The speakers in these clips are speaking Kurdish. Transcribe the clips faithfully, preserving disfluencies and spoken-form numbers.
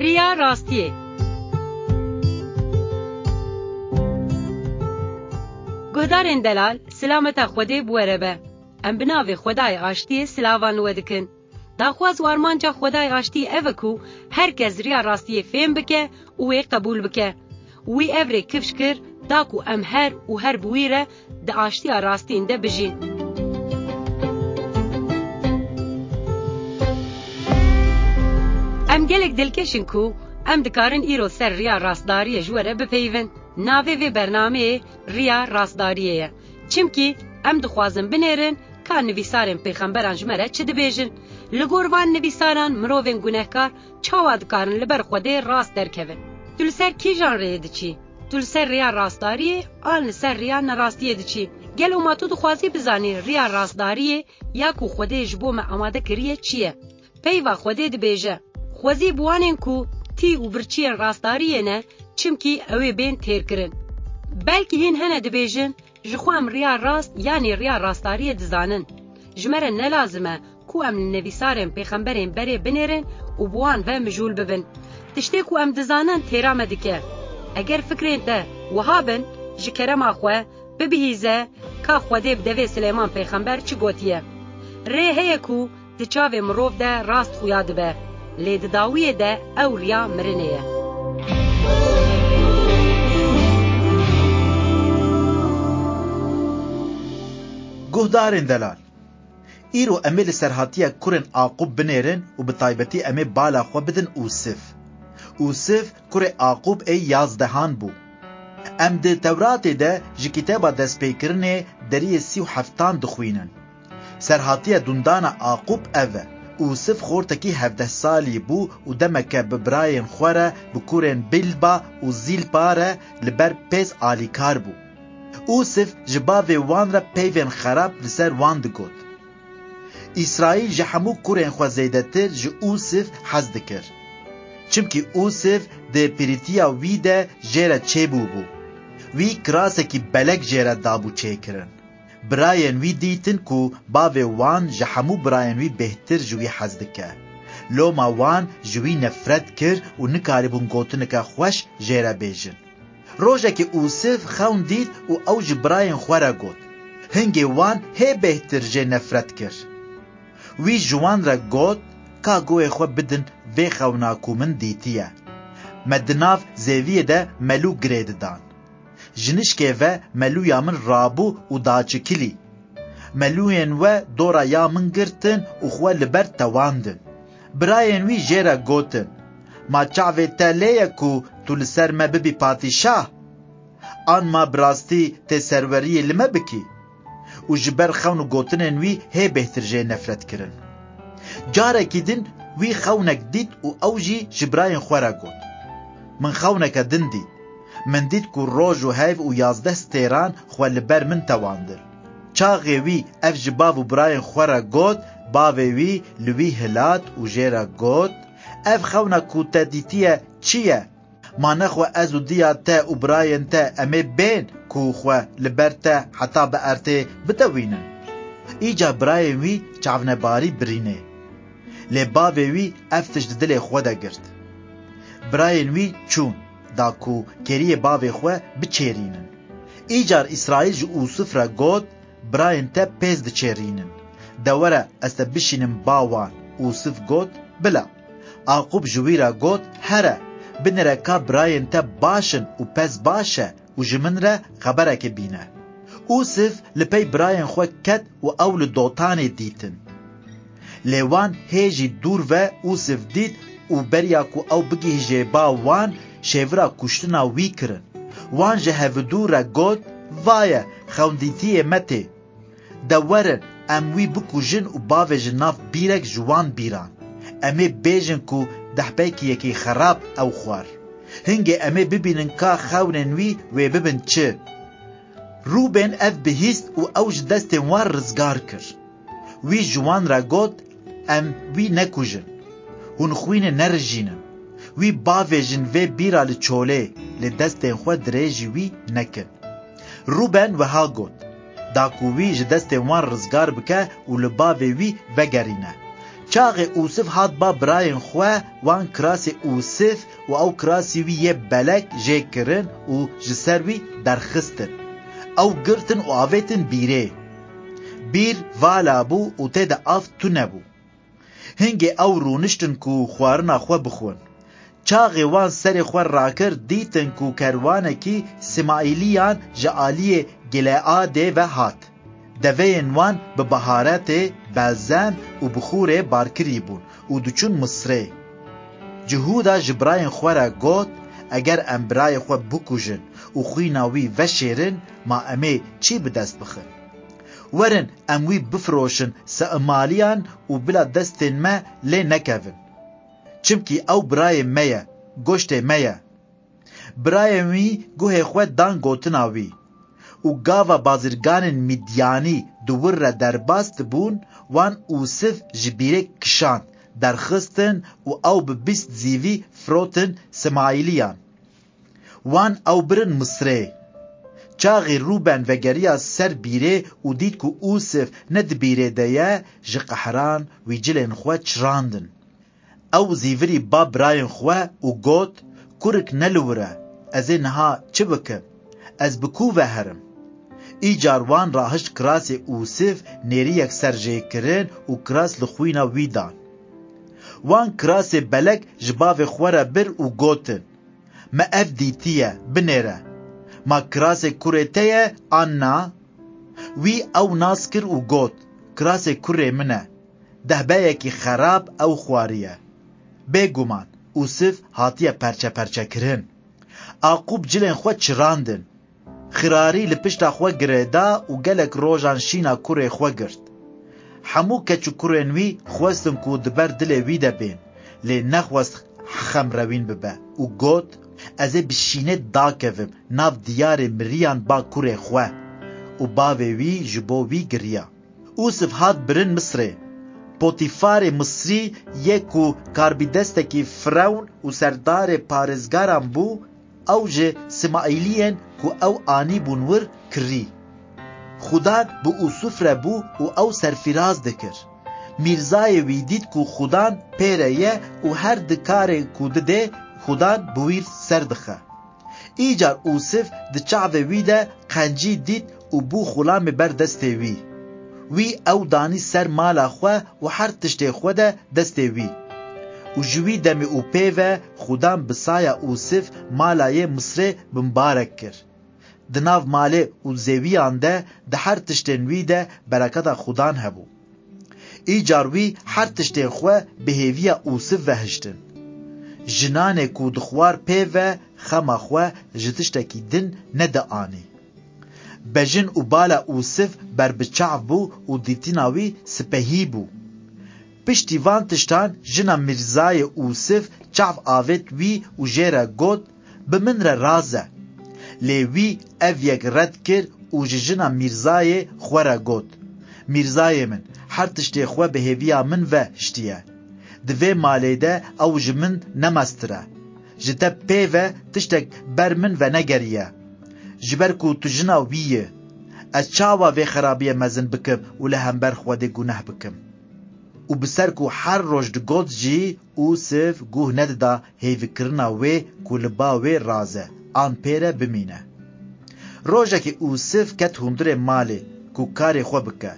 Riya rastiyê. Guhdarên delal, silameta Xwedê bi we re be. Em bi navê Xwedayê Aştiyê silavan li we dikin. Daxwaz û armanca Xwedayê Aştiyê ev e ku her kes riya rastiyê fêm bike û wê qebûl bike. Wî ev rê kifş kir, da ku em her û her bi wî re di aştiya rastîn de bijîn. Em gelek dilkeş in ku em dikarin îro ser riya rastdariyê ji we re bipeyivin. Navê vê bernameyê Riya Rastdariyê ye. Çimkî em dixwazin binêrin ka nivîsarên pêxemberan ji me re çi dibêjin. Li gor van nivîsaran mirovên gunehkar çawa dikarin li ber Xwedê rast derkevin? Tu li ser kîjan rêyê diçî? Tu li ser rêya rastdariyê an li ser rêya nerastiyê diçî? Gelo ma tu dixwazî bizanî rêya rastdariyê ya ku Xwedê ji bo me amade kiriye çi ye? Peyva Xwedê dibêje, Xwezî bi wanên ku tî û birçiyên rastdariyê ne, çimkî ew ê bên têrkirin. Belkî hîn hene dibêjin, Ji xwe em riya rast yanî riya rastdariyê dizanin. Ji me re ne lazim e ku em li nivîsarên pêxemberên berê binêrin û bi wan ve mijûl bibin. Tiştê ku em dizanin têra me dike. Eger fikrên te wiha bin, ji kerema xwe bibihîze ka Xwedê bi devê Silêman pêxember çi gotiye. Rê heye ku di çavê mirov de rast xuya dibe, lê di dawiyê de ew riya mirinê ye. Guhdarên delal, îro em ê li serhatiya kurên Aqûb binêrin û bi taybetî em ê bala xwe bidin Ûsif. Ûsif kurê Aqûb ê yazdehan bû. Em di Tewratê de ji kitêba destpêkirinê deriyê sî û heftan dixwînin. Serhatiya dundana Aqûb ev e. Ûsif xortekî hevdeh salî bû û demeke bi birayên xwe re, bi kurên Bilba û Zîlpa re li ber pêz alîkar bû. Ûsif ji bavê wan re peyvên xerab li ser wan digot. Îsraîl ji hemû kurên xwe zêdetir ji Ûsif hez dikir. Çimkî Ûsif di pîrîtiya wî de jê re çêbûbû. Wî kirasekî belek jê re dabû çêkirin. Birayên wî dîtin ku bavê wan ji hemû birayên wî bêhtir ji wî hez dike. Loma wan ji wî nefret kir û nikaribûn gotineke xweş jê re bêjin. Rojekê Ûsif xewn dît û ew ji birayên xwe re got. Hingê wan hê bêhtir jê nefret kir. Wî ji wan re got, Ka guhê xwe bidin vê xewna ku min dîtiye. Me di nav zêviyê de melû girê didan. Ji nişkê ve melûya min rabû û daçikilî. Melûyên we dora ya min girtin û xwe li ber tewandin. Birayên wî jê re gotin, Ma çavê te lê ye ku tu li ser me bibî padîşah? An ma bi rastî tê serweriyê li me bikî? Û ji ber xewn û gotinên wî hê bêhtir jê nefret kirin. Carekî din wî xewnek dît û ew jî ji birayên xwe re got, Min xewneke din dît. Min dît ku roj û heyv û yazdeh stêran xwe li ber min tewandin. Çaxê wî ev ji bav û birayên xwe re got, bavê wî li wî hilat û jê re got, Ev xewna ku te dîtiye çi ye? Ma nexwe ez û diya te û birayên te em ê bên ku xwe li ber te heta bi erdê bitewînin? Îcar birayên wî çavnebarî birînê. Lê bavê wî ev tişt di dilê xwe de girt. Birayên wî çûn, da ku kêriyê bavê xwe biçêrînin. Îcar Îsraîl ji Ûsif re got, Birayên te pêz diçêrînin. De were ez te bişînim ba wan. Ûsif got, Bila. Aqûb ji wî re got, Here, binêre ka birayên te baş in û pez baş e û ji min re xeberekê bîne. Ûsif li pey birayên xwe ket û ew li Dotanê dîtin. Lê wan hê jî dûr ve Ûsif dît û beriya ku ew bigihîje ba wan, şêvira kuştina wî kirin. Wan ji hevidû re got, Vaye, xewndîtiyê me tê. De werin, em wî bikujin û bavêjin nav bîrek ji wan bîran. Em ê bêjin ku dehpeyekî yekî xerab ew xwar. Hingê em ê bibînin ka xewnên wî wê bibin çi. Rûben ev bihîst û ew ji destên wan rizgar kir. Wî ji wan re got, Em wî nekujin. Hûn xwînê nerijînin. Wî bavêjin vê bîra li çolê, lê destên xwe dirêjî wî nekin. Rûben wiha got, Da ku wî ji destên wan rizgar bike û li bavê wî vegerîne. Çaxê Ûsif hat ba birayên xwe, wan kirasê Ûsif û ew kirasî wî yê belek jê kirin û ji ser wî derxistin. Ew girtin û avêtin bîrê. Bîr vala bû û tê de av tune bû. Hingê ew rûniştin ku xwarina xwe bixwin. Çaxê wan serê xwe rakir, dîtin ku kerwanekî Sîmaîliyan ji aliyê Gileadê ve hat. Deveyên wan bi baharetê belzem û bixûrê barkirî bûn û diçûn Misrê. Cihûda ji birayên xwe re got, Eger em birayê xwe bikujin û xwîna wî veşêrin, ma em ê çi bi dest bixin? Werin, em wî bifiroşin Sîmaîliyan û bila destên me lê nekevin. Çimkî ew birayê me ye, goştê me ye. Birayên wî guhê xwe dan gotina wî. Û gava bazirganên Midyanî di wir re derbas dibûn, wan Ûsif ji bîrê kişand, derxistin û ew bi bîst zîvî firotin Sîmaîliyan. Wan ew birin Misrê. Çaxê Rûben vegeriya ser bîrê û dît ku Ûsif ne di bîrê de ye, ji qehran wî cilên xwe çirandin. Ew zîvirî ba birayên xwe û got, Kurik ne li wir e, ez ê niha çi bikim? Ez bi ku ve herim? Îcar wan rahişt kirasê Ûsif, nêrîyek ser jê kirin û kiras li xwîna wî dan. Wan kirasê belek ji bavê xwe re bir û gotin, Me ev dîtiye, binêre. Ma kirasê kurê te ye an na? Wî ew nas kir û got, Kirasê kurê min e. Dehbeyekî xerab ew xwariye. Bêguman, Ûsif hatiye perçeperçekirin. Aqûb cilên xwe çirandin. Xirarî li pişta xwe girêda û gelek rojan şîna kurê xwe girt. Hemû keç û kurên wî xwestin ku di ber dilê wî de bên, lê nexwest xemrewîn bibe û got, Ez ê bi şînê dakevim nav diyarê miriyan ba kurê xwe. Û bavê wî ji bo wî giriya. Ûsif hat birin Misrê. Potîfarê Misrî yê ku karbîdestekî Firewn û serdarê parêzgaran bû, ew ji Sîmaîliyên ku ew anîbûn wir kirî. Xudan bi Ûsif re bû û ew serfîraz dikir. Mîrzayê wî dît ku Xudan pê re ye û her di karê ku didê, Xudan bi wî ser dixe. Îcar Ûsif di çavê wî de qencî dît û bû xulamê ber destê wî. Wî ew danî ser mala xwe û her tiştê xwe de destê wî. Û ji wî demê û pê ve Xudan bi saya Ûsif mala yê Misrê bimbarek kir. Di nav malê û zêwiyan de, di her tiştên wî de bereketa Xudan hebû. Îcar wî her tiştên xwe bi hêviya Ûsif ve hiştin. Jinanê ku dixwar pê ve xema xwe ji tiştekî din nedianî. Bejin û bala Ûsif ber bi çav bû û dîtina wî sipehî bû. Piştî van tiştan jina mîrzayê Ûsif çav avêt wî û jê re got, Bi min re raze. Lê wî ev yek red kir û ji jina mîrzayê xwe re got, Mîrzayê min, her tiştê xwe bi hêviya min ve hiştiye. Di vê malê de ew ji min nemeztir e. Ji te pê ve tiştek ber min venegeriye. Ji ber ku tu jina wî yî. Ez çawa vê xerabiyê mezin bikim û li hember Xwedê guneh bikim? Û bi ser ku her roj digot jî, Ûsif guh nedida hêvikirina wê ku li ba wê raze an pê re bimîne. Rojekê Ûsif ket hundirê malê ku karê xwe bike.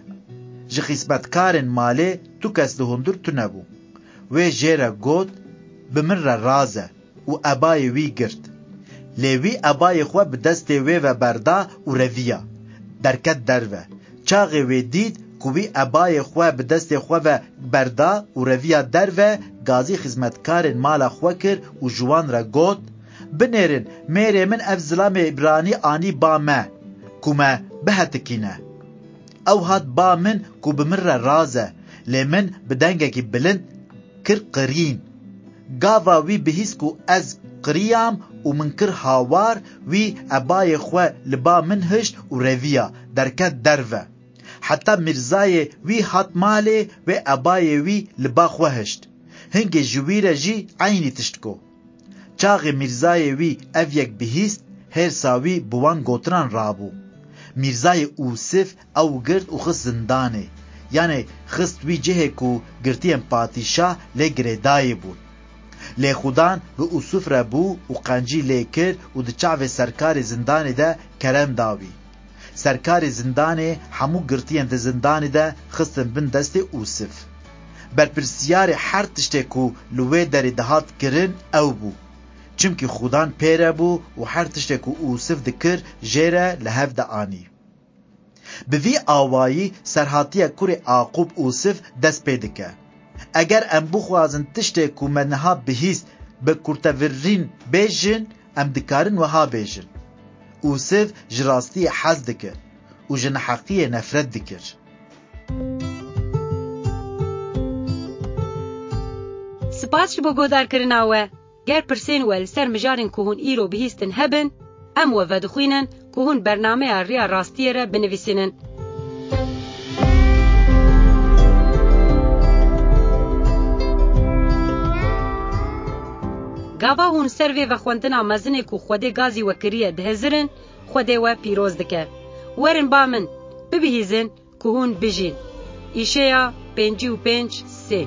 Ji xîzmetkarên malê tu kes li hundir tune bû. Wê jê re got, Bi min re raze û ebayê wî girt. Lê wî ebayê xwe bi destê wê ve berda û reviya, derket derve. Çaxê wê dît ku wî ebayê xwe bi destê xwe ve berda û reviya derve, gazî xizmetkarên mala xwe kir û ji wan re got, Binêrin, mêrê min ev zilamê îbranî anî ba me, ku me bihetikîne. Ew hat ba min ku bi min re raze, lê min bi dengekî bilind kir qirîn. Gava wî bihîst ku ez qiriyam û min kir hawar, wî ebayê xwe li ba min hişt û reviya, derket derve. Heta mîrzayê wî hat malê, wê ebayê wî li ba xwe hişt. Hingê ji wî re jî eynî tişt got. Çaxê mîrzayê wî ev yek bihîst, hêrsa wî bi wan gotinan rabû. Mîrzayê Ûsif ew girt û xist zindanê. yanê xist wî cihê ku girtiyên padîşah lê girêdayî bûn. Lê Xudan bi Ûsif re bû û qencî lê kir û di çavê serkarê zindanê de kerem da wî. Serkarê zindanê hemû girtiyên di zindanê de xistin bin destê Ûsif. Berpirsiyarê her tiştê ku li wê derê dihat kirin ew bû. Çimkî Xudan pê re bû û her tiştê ku Ûsif dikir jê re li hev dianî. Bi vî awayî serhatiya kurê Aqûb Ûsif dest pê dike. Eger em bixwazin tiştê ku me niha bihîst bi kurtevirîn bêjin, em dikarin wiha bêjin: Ûsif ji rastiyê hez dikir û ji neheqiyê nefret dikir. Spas ji bo guhdarkirina we. Ger pirsên we li ser mijarên ku hûn îro bihîstin hebin, em we vedixwînin ku hûn bernameya Riya Rastiyê re binivîsînin. Gava hûn ser vê vexwendina mezinê ku Xwedê gazî we kiriye dihizirin, Xwedê we pîroz dike. Werin ba min, bibihîzin ku hûn bijîn. Îşeya pêncî û pênc sê.